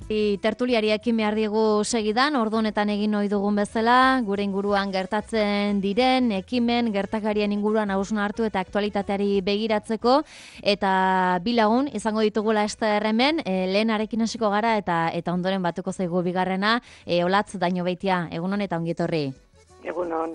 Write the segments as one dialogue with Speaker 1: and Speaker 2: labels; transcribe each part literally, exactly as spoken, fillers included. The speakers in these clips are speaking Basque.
Speaker 1: Tertuliari ekin behar diegu segidan, ordu honetan egin ohi dugun bezala, gure inguruan gertatzen diren, ekimen, gertakarien inguruan hausnartu eta aktualitateari begiratzeko, eta bilagun, izango ditugula ester hemen, e, lehenarekin hasiko gara, eta eta ondoren batuko zaigu bigarrena, e, Olatz Dañobeitia, egun hon eta ongietorri.
Speaker 2: Egunon.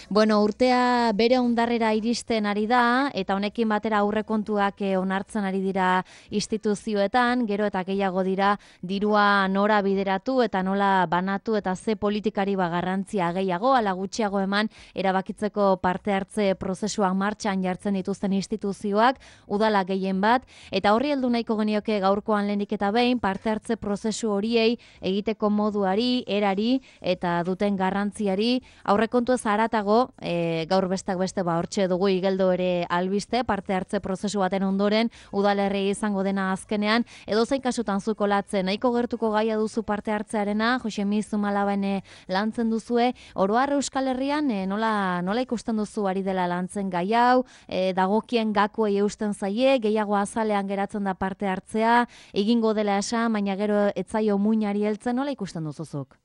Speaker 1: Bueno, urtea bere ondarrera iristen ari da, eta honekin batera aurrekontuak onartzen ari dira instituzioetan, gero eta gehiago dira dirua nora bideratu eta nola banatu eta ze politikari garrantzia gehiago, ala gutxiago eman erabakitzeko parte hartze prozesuak martxan jartzen dituzten instituzioak, udala gehien bat, eta horri heldu nahiko genioke gaurkoan lehenik eta behin parte hartze prozesu horiei egiteko moduari, erari eta duten garrantziari, aurrekontu ez haratago, e, gaur bestak beste ba hortxe dugu igeldo ere albiste, parte hartze prozesu baten ondoren, udalerri izango dena azkenean, edo zein kasutan zuko latzen, nahiko gertuko gaia duzu parte hartzearena, Josemi Zumalaben lantzen duzue, oro har Euskal Herrian e, nola, nola ikusten duzu ari dela lantzen gai hau, e, dagokien gakoei eusten zaie, gehiago azalean geratzen da parte hartzea, egingo dela esan, baina gero etzaio muinari heltzen, nola ikusten duzuzuk?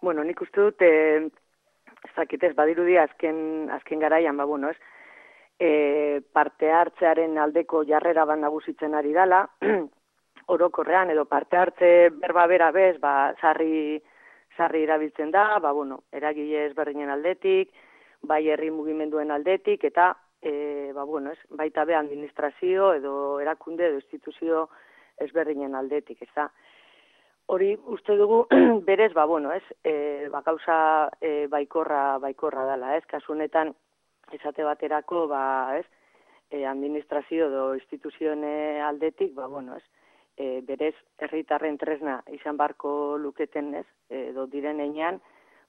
Speaker 2: Bueno, nik uste dut, eh, ez dakitez, badirudi azken, azken garaian, ba, bueno, ez, eh, parte hartzearen aldeko jarrera bat nagusitzen ari dala, orokorrean, edo parte hartze berba bera bez, ba, sarri, sarri erabiltzen da, ba, bueno, eragile ezberdinen aldetik, bai herri mugimenduen aldetik, eta, eh, ba, bueno, ez, baita be administrazio, edo erakunde, edo instituzio ezberdinen aldetik, ez da. Hori uste dugu berez, ba, bueno, ez, e, ba, gauza e, baikorra, baikorra dela, ez, kasu honetan esate baterako, ba, ez, e, administrazio edo instituzioen aldetik, ba, bueno, ez, e, berez herritarren tresna izan barko luketen, ez, edo diren einean,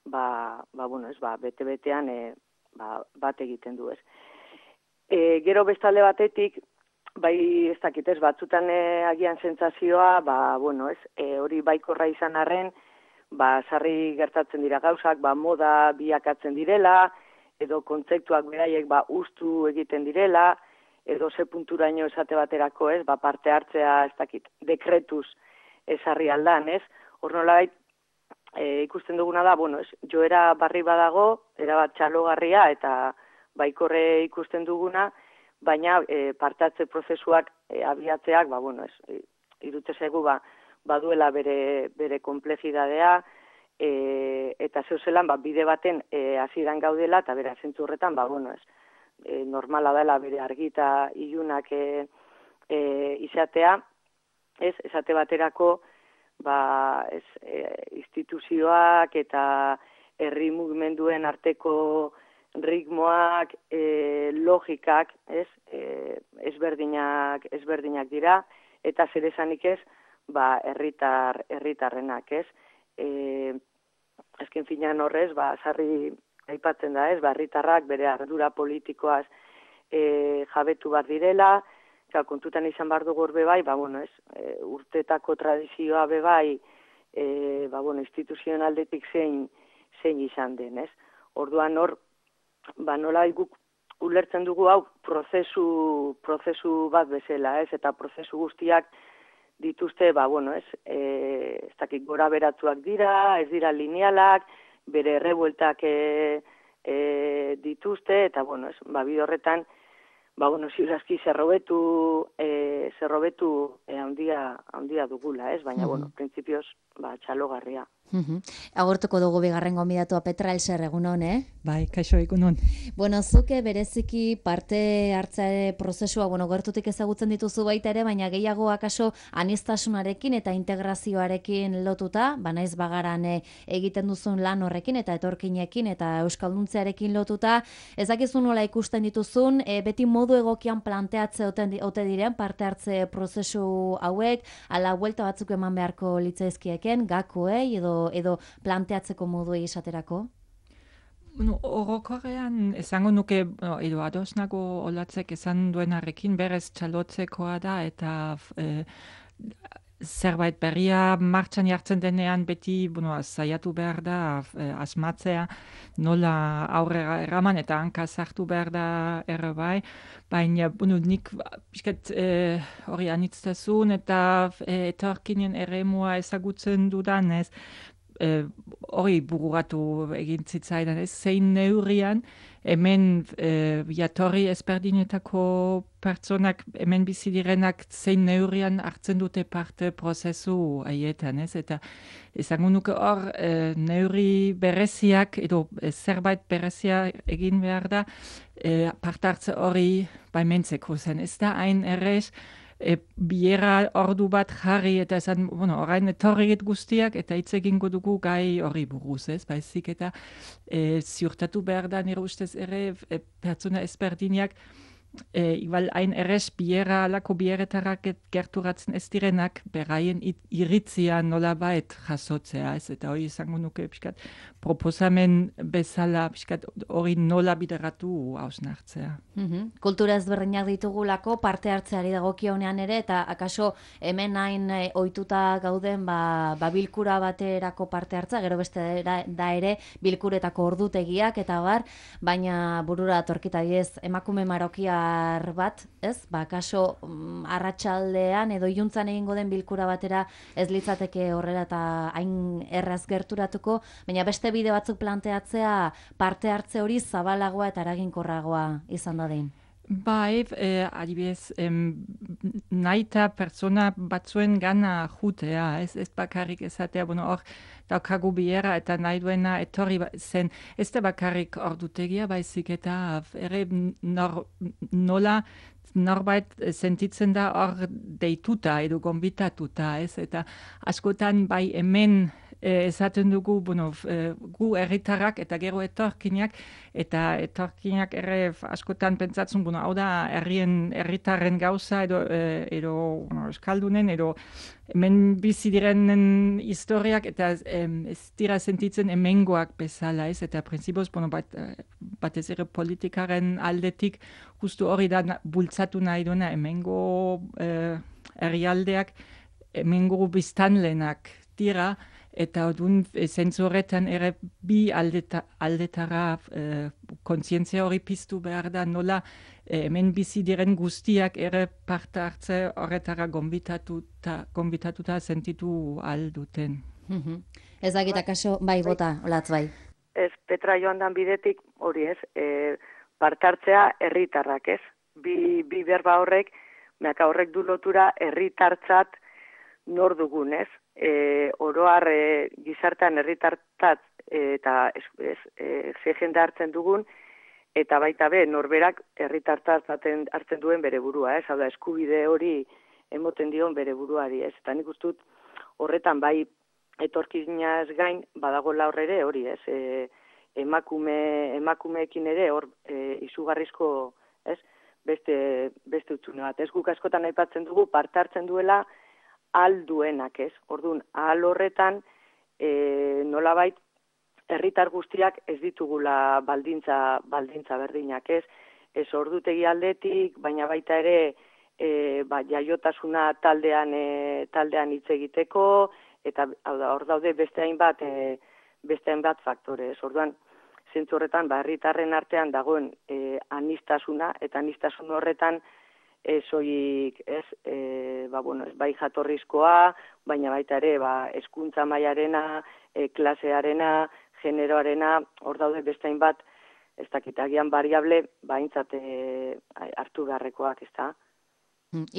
Speaker 2: ba, ba, bueno, ez, ba, bete-betean e, ba, bat egiten du, ez. E, gero bestalde batetik, bai, ez dakitez, batzutan e, agian sentsazioa, ba, bueno, ez, e, hori baikorra izan arren, ba, sarri gertatzen dira gauzak, ba, moda biakatzen direla, edo kontzeptuak beraiek, ba, ustu egiten direla, edo ze punturaino esate baterako, ez, ba, parte hartzea, ez dakit, dekretuz ezarri aldan, ez, hor nolabait, e, ikusten duguna da, bueno, ez, joera barri badago, erabat txalogarria, eta baikorre ikusten duguna, baina e, partatze prozesuak e, abiatzeak, ba, bueno, ez, e, irute zaigu, ba, baduela bere, bere komplexidadea, e, eta zeu zelan, ba, bide baten e, hasieran gaudela, eta bera zentzu horretan, ba, bueno, ez, e, normala dela bere argita ilunak e, e, izatea, ez, esate baterako, ba, ez, e, instituzioak eta herri mugimenduen arteko ritmoak, e, logikak, ez, e, ezberdinak, ezberdinak dira, eta zer esanik ez, ba, herritar, herritarrenak, ez. E, azken finean horrez, ba, sarri aipatzen da, ez, ba, herritarrak bere ardura politikoaz e, jabetu bar direla, eta kontutan izan bar dugu be bai, ba, bueno, ez, e, urtetako tradizioa be bai, e, ba, bueno, instituzioen aldetik zein, zein izan den, ez. Orduan hor, ba, nola guk ulertzen dugu hau prozesu, prozesu bat bezala, ez, eta prozesu guztiak dituzte, ba, bueno, ez, e, ez dakit gora beratuak dira, ez dira linealak, bere errebueltak e, e, dituzte, eta, bueno, ez, ba, bide horretan, ba, bueno, ziurazki zerrobetu, e, zerrobetu e, handia, handia dugula, ez, baina, mm-hmm. bueno, printzipioz, ba, txalogarria.
Speaker 1: Uh-huh. Agortuko dugu bigarren gonbidatua Petra Elser, egunon, eh?
Speaker 3: Bai, kaixo, egunon.
Speaker 1: Bueno, zuke bereziki parte hartze prozesua, bueno, gertutik ezagutzen dituzu baita ere, baina gehiago akaso aniztasunarekin eta integrazioarekin lotuta, ba naiz bagaran e, egiten duzun lan horrekin eta etorkinekin eta euskalduntzearekin lotuta, ez dakizu nola ikusten dituzun, e, beti modu egokian planteatze ote diren parte hartze prozesu hauek, ala buelta batzuk eman beharko litzaizkieken, gakoei edo edo planteatzeko moduei esaterako?
Speaker 3: Bueno, orokorrean esango nuke, edo ados nago Olatzek esan duenarekin berez txalotzekoa da, eta e, zerbait berria martxan jartzen denean beti, bueno, saiatu behar da, eh, asmatzea, nola aurrera eraman eta hanka sartu behar da erre bai, baina, bueno, nik pixkat eh, hori anitztasun eta eh, etorkinen eremua ezagutzen dudanez, eh, hori bururatu egin zitzaidan, ez zein neurrian, hemen eh, jatorri ezberdinetako pertsonak, hemen bizi direnak zein neurrian hartzen dute parte prozesu haietan, ez? Eta izango nuke hor eh, neurri bereziak edo eh, zerbait berezia egin behar da eh, parte hartze hori baimentzeko zen. Ez da hain errez, E, biera ordu bat jarri eta esan, bueno, orain etorriet guztiak eta hitz egingo dugu gai hori buruz, ez? Baizik eta e, ziurtatu behar da nire ustez ere e, pertsona ezberdinak e, igual hain errez biera alako bieretarak gerturatzen ez direnak beraien iritzia nola bait jasotzea, ez? Eta hori izango nuke pixkat proposamen bezala pixkat hori nola bideratu hausnartzea.
Speaker 1: Mm-hmm. Kultura ezberdinak ditugulako parte hartzeari dagokionean ere eta akaso hemen hain e, ohituta gauden ba, ba bilkura baterako parte hartza, gero beste da, da ere bilkuretako ordutegiak eta bar, baina burura torkita diez emakume marokiar bat, ez? Ba akaso mm, arratsaldean edo iluntzan egingo den bilkura batera ez litzateke horrela eta hain erraz gerturatuko, baina beste bide batzuk planteatzea parte hartze hori zabalagoa eta eraginkorragoa izan da den.
Speaker 3: Bai, eh, adibidez, em, naita pertsona batzuen gana jutea, ez, ez bakarrik esatea, bueno, hor daukagu biera eta nahi duena etorri zen, ez da bakarrik ordutegia, baizik eta ere nor, nola norbait sentitzen da hor deituta edo gonbitatuta, ez, eta askotan bai hemen E, esaten dugu, bueno, e, gu herritarrak eta gero etorkinak, eta etorkinak ere askotan pentsatzen, bueno, hau da herrien herritarren gauza edo, e, edo bueno, eskaldunen, edo hemen bizi direnen historiak, eta em, ez dira sentitzen hemengoak bezala, ez, eta prinsipoz, bueno, bat, batez ere politikaren aldetik, justu hori da bultzatu nahi duena hemengo e, herrialdeak, hemengo biztanlenak dira, eta odun zentzu horretan ere bi aldeta, aldetara e, kontzientzia hori piztu behar da, nola e, hemen bizi diren guztiak ere parte hartze horretara gonbitatuta, gonbitatuta sentitu alduten.
Speaker 1: Mm-hmm. Ez dakit akaso, bai, bota, olatz bai.
Speaker 2: Ez, Petra joan dan bidetik hori ez, e, parte hartzea herritarrak ez, bi, bi berba horrek, meaka horrek du lotura herritartzat nor dugun ez, E, oroar e, gizartean herritartat e, eta ez, ez, e, ze jende hartzen dugun, eta baita be, norberak herritartat hartzen duen bere burua, ez? Hau da, eskubide hori emoten dion bere buruari, ez? Eta nik ustut horretan bai etorkinaz gain badagoela hor ere hori, ez? E, emakume, emakumeekin ere hor e, izugarrizko, ez? Beste, beste utzune bat, ez? Guk askotan aipatzen dugu parte hartzen duela alduenak, ez? Orduan, ahal horretan, e, nolabait, herritar guztiak ez ditugula baldintza, baldintza berdinak, ez? Ez ordutegi aldetik, baina baita ere, e, ba, jaiotasuna taldean, e, taldean hitz egiteko, eta hau da, hor daude beste hainbat, e, beste hainbat faktore, ez? Orduan, zentzu horretan, ba, herritarren artean dagoen e, anistasuna, eta anistasun horretan, ezoik, ez, e, ba, bueno, ez bai jatorrizkoa, baina baita ere, ba, hezkuntza mailarena, e, klasearena, generoarena, hor daude bestain bat, ez dakitagian variable, baintzat e, hartu beharrekoak, ez da.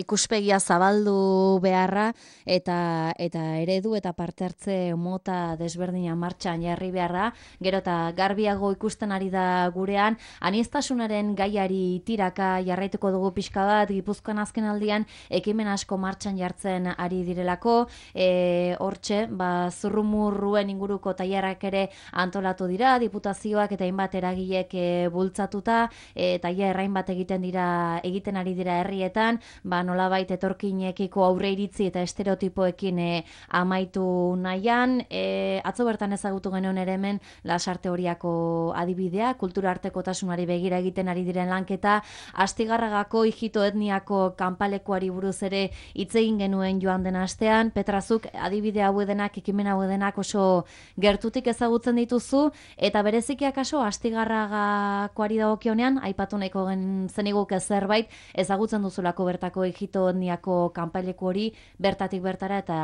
Speaker 1: Ikuspegia zabaldu beharra eta eta eredu eta parte hartze mota desberdina martxan jarri beharra, gero eta garbiago ikusten ari da gurean, aniztasunaren gaiari tiraka jarraituko dugu pixka bat, Gipuzkoan azken aldian ekimen asko martxan jartzen ari direlako, e, hortxe, ba, zurrumurruen inguruko tailerrak ere antolatu dira, diputazioak eta hainbat eragilek e, bultzatuta, e, tailer errain bat egiten dira egiten ari dira herrietan, ba, nolabait etorkinekiko aurre iritzi eta estereotipoekin e, amaitu nahian. E, atzo bertan ezagutu genuen ere hemen Lasarte Horiako adibidea, kultura artekotasunari begira egiten ari diren lanketa, Astigarragako ijito etniako kanpalekuari buruz ere hitz egin genuen joan den astean. Petrazuk adibide hau denak, ekimen hau denak oso gertutik ezagutzen dituzu, eta bereziki akaso Astigarragakoari dagokionean aipatu nahiko gen zeniguke zerbait ezagutzen duzulako bertako ijito etniako kanpaileku hori bertatik bertara eta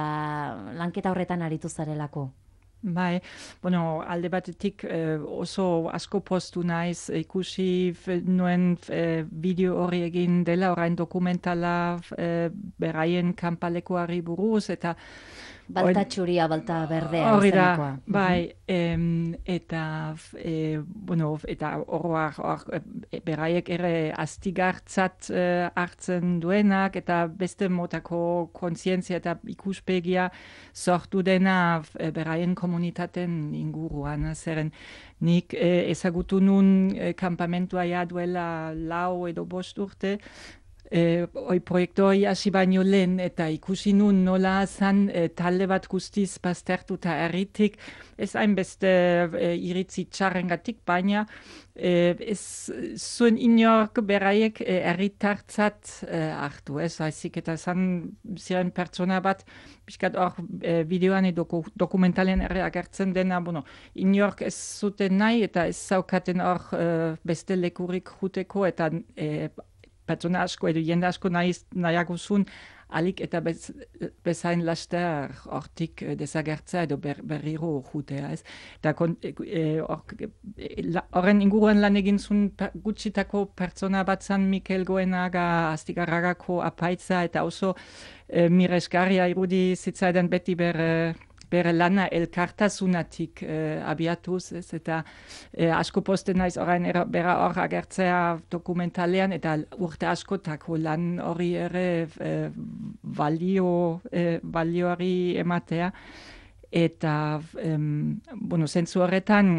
Speaker 1: lanketa horretan aritu zarelako.
Speaker 3: Bai, bueno, alde batetik eh, oso asko postu naiz ikusi nuen eh, bideo hori egin dela, orain dokumentala eh, beraien kanpalekuari buruz, eta
Speaker 1: Balta txuria, balta berdea.
Speaker 3: Hori da, bai, em, eta, e, bueno, eta oroak, or, beraiek ere astigartzat e, hartzen duenak, eta beste motako kontzientzia eta ikuspegia sortu dena e, beraien komunitaten inguruan. Zeren nik e, ezagutu nun e, kampamentua ja duela lau edo bost urte, Eh, oi proiektu hori hasi baino lehen eta ikusi nun nola zan eh, talde bat guztiz baztertuta erritik, ez hainbeste eh, iritzi txarrengatik, baina eh, ez zuen inork beraiek eh, erritartzat eh, hartu, ez haizik eta zan ziren pertsona bat, pixkat hor eh, bideoan edo dokumentalen ere agertzen dena, bueno, inork ez zuten nahi eta ez zaukaten hor eh, beste lekurik juteko eta eh, pertsona asko edo jende asko nahiago zuen alik eta bez, bezain laster hortik desagertzea edo ber, berriro jutea, ez? Eta horren e, inguruan lan egin zuen per, gutxitako pertsona bat zan Mikel Goenaga Astigarragako apaitza eta oso e, miresgarria irudi zitzaidan beti bere bere lana elkartasunatik eh, abiatuz, ez, eta eh, asko posten naiz orain era, bera hor agertzea dokumentalean, eta urte askotako lan hori ere eh, balio, eh, balioari ematea, eta em, bueno, zentzu horretan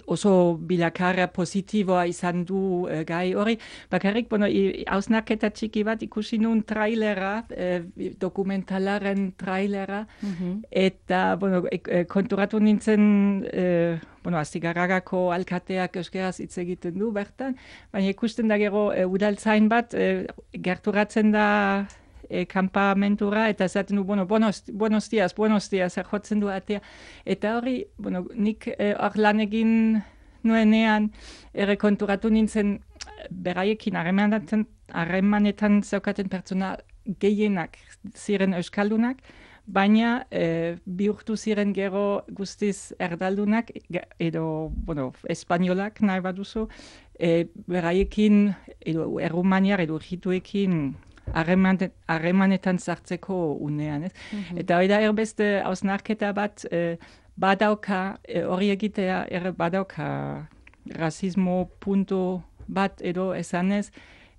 Speaker 3: oso bilakaera positiboa izan du e, gai hori. Bakarrik, bueno, hausnarketa txiki bat ikusi nun trailera, e, dokumentalaren trailera, mm-hmm. eta, bueno, e, konturatu nintzen, e, bueno, Astigarragako alkateak euskeraz hitz egiten du bertan, baina ikusten da gero e, udaltzain bat, e, gerturatzen da E, kampamentura, eta zaten du, bueno, buenos, buenos dias, buenos dias, erjotzen du atea. Eta hori, bueno, nik hor e, lan egin nuenean, ere konturatu nintzen, beraiekin harremanetan, harremanetan zaukaten pertsona gehienak ziren euskaldunak, baina e, bihurtu ziren gero guztiz erdaldunak, edo, bueno, espainolak nahi baduzu, e, beraiekin, edo errumaniar, edo jituekin, harremanetan sartzeko unean, ez? Mm-hmm. Eta hori da erbeste hausnarketa bat e, badauka, hori e, egitea er badauka rasismo punto bat edo esanez,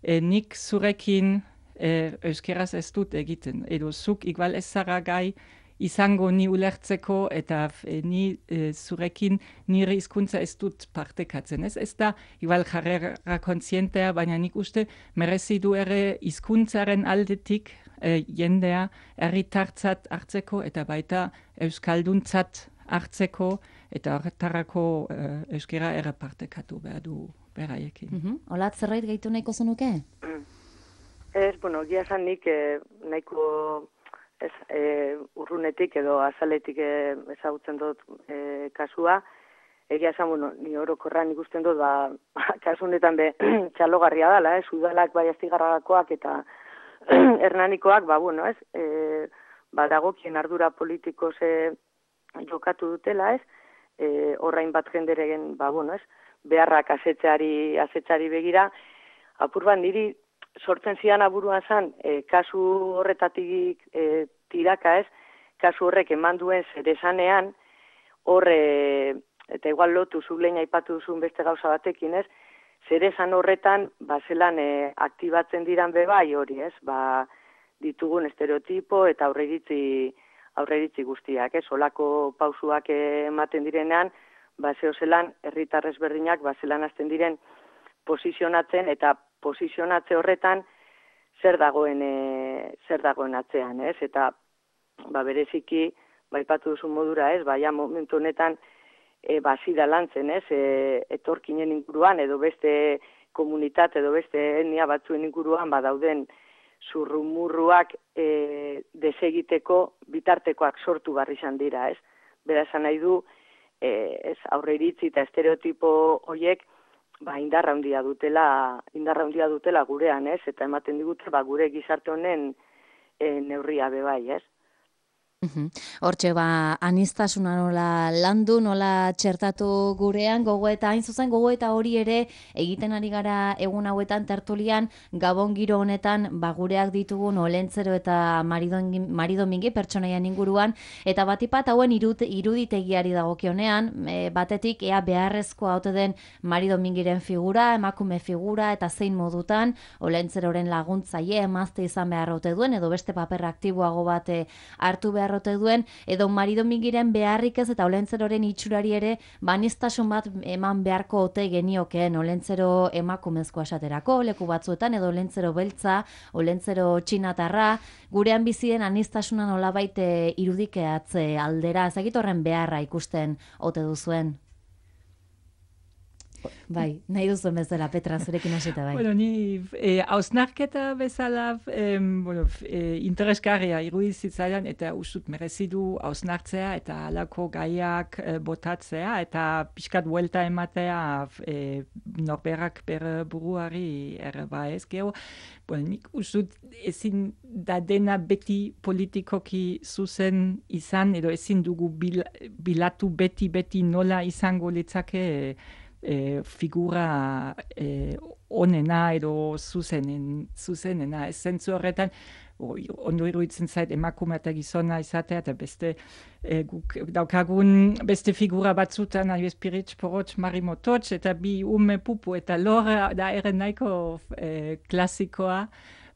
Speaker 3: e, nik zurekin e, euskeraz ez dut egiten, edo zuk igual ez zara gai izango ni ulertzeko eta e, ni e, zurekin nire hizkuntza ez dut partekatzen. Ez, ez da, igual jarrera kontzientea, baina nik uste merezi du ere hizkuntzaren aldetik e, jendea herritartzat hartzeko eta baita euskalduntzat hartzeko eta horretarako e, euskera ere partekatu behar du beraiekin.
Speaker 1: Mm-hmm. Olat, zerbait gehitu nahiko zenuke?
Speaker 2: Ez, bueno, gia zan nik eh, nahiko ez, e, urrunetik edo azaletik e, ezagutzen dut e, kasua, egia esan, bueno, ni orokorran ikusten dut, ba, kasu honetan be, txalogarria dela, ez, udalak bai Astigarragakoak eta hernanikoak, ba, bueno, ez, e, ba, dagokien ardura politiko ze jokatu dutela, ez, e, horrain bat jenderegen, ba, bueno, ez, beharrak asetxari, asetxari begira, apur bat niri, sortzen zidan aburuan zan, e, kasu horretatik e, tiraka ez, kasu horrek eman duen zeresanean, horre, eta igual lotu zulein aipatu duzun beste gauza batekin ez, zeresan horretan, ba, zelan e, aktibatzen diran bebai hori ez, ba, ditugun estereotipo eta aurreiritzi, aurreiritzi guztiak ez, olako pausuak ematen direnean, ba, zeo zelan, herritar ezberdinak, ba, zelan hasten diren posizionatzen eta posizionatze horretan zer dagoen e, zer dagoen atzean, ez? Eta ba bereziki baipatu duzu modura, ez? Baia momentu honetan e, basida lantzen, ez? E, etorkinen inguruan edo beste komunitate edo beste etnia batzuen inguruan badauden zurrumurruak e, desegiteko bitartekoak sortu barri izan dira, ez? Bera esan nahi du, e, ez aurre iritzi eta estereotipo horiek ba, indarra handia dutela, indarra handia dutela gurean, ez? Eta ematen digute ba, gure gizarte honen e, neurria bebai, ez?
Speaker 1: Hortxe, ba, anistasuna nola landu, nola txertatu gurean, gogoeta, hain zuzen gogoeta hori ere egiten ari gara egun hauetan tertulian, Gabon giro honetan, ba, gureak ditugun Olentzero eta Maridomingi pertsonaian inguruan, eta batipat hauen irut, iruditegiari dagokionean, e, batetik ea beharrezkoa haute den Maridomingiren figura, emakume figura, eta zein modutan, Olentzeroren laguntzaile, emazte izan behar haute duen, edo beste paper aktiboago bat hartu behar duen, edo Maridomingiren beharrik ez eta Olentzeroren itxurari ere banistasun bat eman beharko ote geniokeen Olentzero emakumezkoa esaterako, leku batzuetan, edo Olentzero beltza, Olentzero txinatarra, gurean bizien anistasuna nolabait irudikeatze aldera, ezagit horren beharra ikusten ote duzuen? Bai, nahi duzuen bezala, Petra, zurekin hasita bai.
Speaker 3: Bueno, ni eh, hausnarketa bezala eh, bueno, eh, interesgarria irudizitzaidan eta usut merezidu hausnartzea eta halako gaiak eh, botatzea eta pixkat buelta ematea eh, norberak bere buruari ere ba ez gero. Bueno, nik usut ezin da dena beti politikoki zuzen izan edo ezin dugu bil, bilatu beti beti nola izango litzake E, figura e, onena edo zuzenen, zuzenena. Ez zentzu horretan, o, ondo iruditzen zait emakume eta gizona izatea, eta beste e, guk daukagun beste figura batzutan, adibidez Piritx, Porotx, Marimototx, eta bi ume pupu, eta lore da ere nahiko e, klasikoa,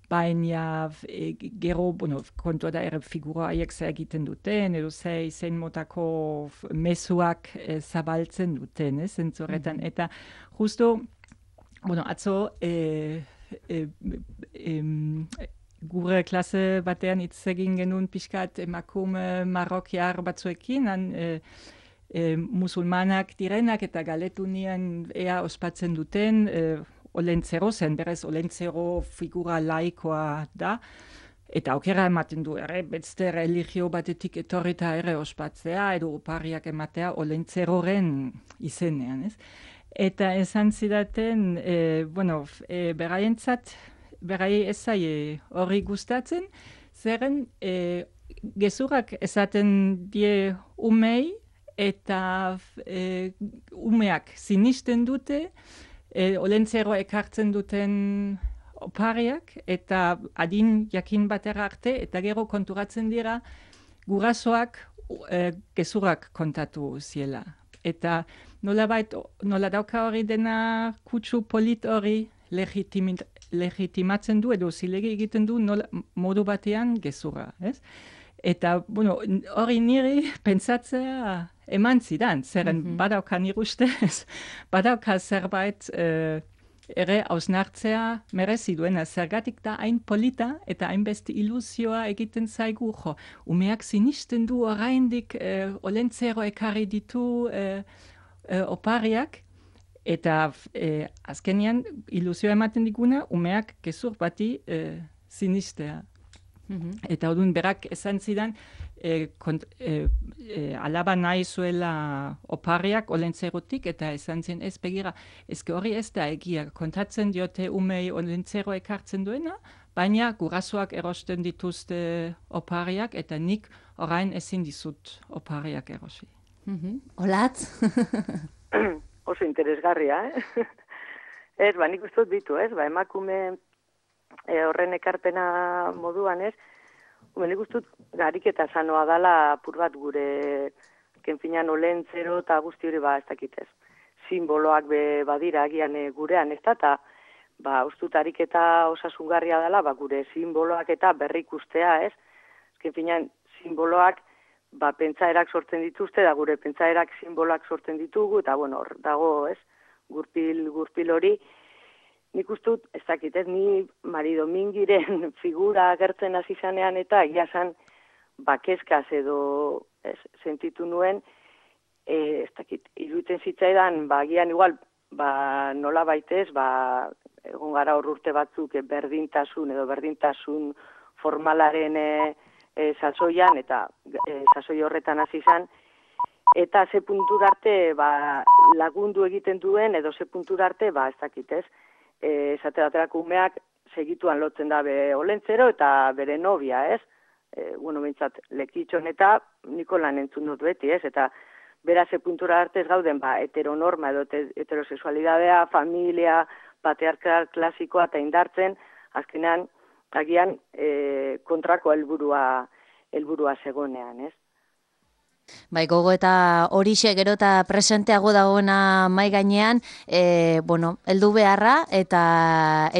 Speaker 3: baina e, gero, bueno, kontua da ere figura haiek zer egiten duten, edo ze izen motako mezuak e, zabaltzen duten, ez, zentzorretan. Mm-hmm. Eta justo, bueno, atzo, e, e, e, gure klase batean hitz egin genuen pixkat emakume marrokiar batzuekin, han, e, e, musulmanak direnak eta galetu nien ea ospatzen duten, e, Olentzero zen, berez Olentzero figura laikoa da, eta aukera ematen du ere, beste religio batetik etorrita ere ospatzea, edo opariak ematea Olentzeroren izenean, ez? Eta esan zidaten, e, bueno, e, beraientzat, berai ez zaie hori gustatzen, zeren e, gezurrak esaten die umei, eta e, umeak sinisten dute, E, Olentzero ekartzen duten opariak eta adin jakin batera arte eta gero konturatzen dira gurasoak e, gezurrak kontatu ziela. Eta nolabait, nola dauka hori dena kutsu polit hori legitimatzen du edo zilegi egiten du nola, modu batean gezurra, ez? Eta, bueno, hori niri pentsatzea eman zidan, zeren mm-hmm. badauka nire ustez, badauka zerbait uh, ere hausnartzea merezi duena, zergatik da hain polita eta hainbeste ilusioa egiten zaigu, jo, umeak sinisten du oraindik uh, Olentzero ekarri ditu uh, uh, opariak, eta uh, azkenean ilusioa ematen diguna, umeak gezur bati uh, sinistea. Mm-hmm. Eta odun berak esan zidan, e, kont, e, e, alaba nahi zuela opariak Olentzerotik, eta esan zen ez begira, ezke hori ez da egia, kontatzen diote umei Olentzero ekartzen duena, baina gurasoak erosten dituzte opariak, eta nik orain ezin dizut opariak erosi.
Speaker 1: Mm-hmm. Olatz?
Speaker 2: Oso interesgarria, eh? Ez, ba, nik uste dut ditu, ez? Ba, emakume E, horren ekarpena moduan, ez? Nik uste dut ariketa sanoa dala apur bat gure kenfinan Olentzero eta guzti hori ba ez dakitez. Simboloak be badira agian e, gurean, ez da, eta ba, uste dut ariketa osasungarria dela, ba, gure simboloak eta berrikustea, ez? Kenfinan simboloak ba, pentsaerak sortzen dituzte, da gure pentsaerak simboloak sortzen ditugu, eta bueno, hor dago, ez? Gurpil, gurpil hori. nik uste dut, ez dakit, ez ni Mari Domingiren figura agertzen hasi zanean eta egia zan bakezkaz edo ez, sentitu nuen, e, ez dakit, iruditzen zitzaidan, ba, gian igual, ba, nola baitez, ba, egon gara hor urte batzuk e, berdintasun edo berdintasun formalaren e, e, sasoian, eta e, sasoi horretan hasi zan, eta ze puntura arte ba, lagundu egiten duen, edo ze puntura arte, ba, ez dakit ez, e, esate baterako umeak segituan lotzen da be olentzero eta bere nobia, ez? E, bueno, bintzat, lekitxon eta Nikolan entzun dut beti, ez? Eta bera ze puntura arte ez gauden, ba, heteronorma edo heterosexualidadea, familia, patriarkal klasikoa eta indartzen, azkenean, agian e, kontrako helburua helburua zegonean, ez?
Speaker 1: Bai, gogo eta horixe gero eta presenteago dagoena mai gainean, e, bueno, heldu beharra eta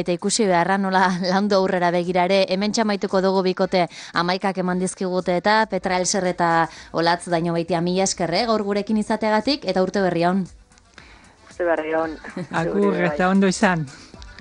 Speaker 1: eta ikusi beharra nola landu aurrera begirare, hemen txamaituko dugu bikote amaikak eman dizkigute eta Petra Elser eta Olatz Daño Beitia mila eskerre, gaur gurekin izateagatik eta urte berri on.
Speaker 2: Urte berri on.
Speaker 3: Agur, eta ondo izan.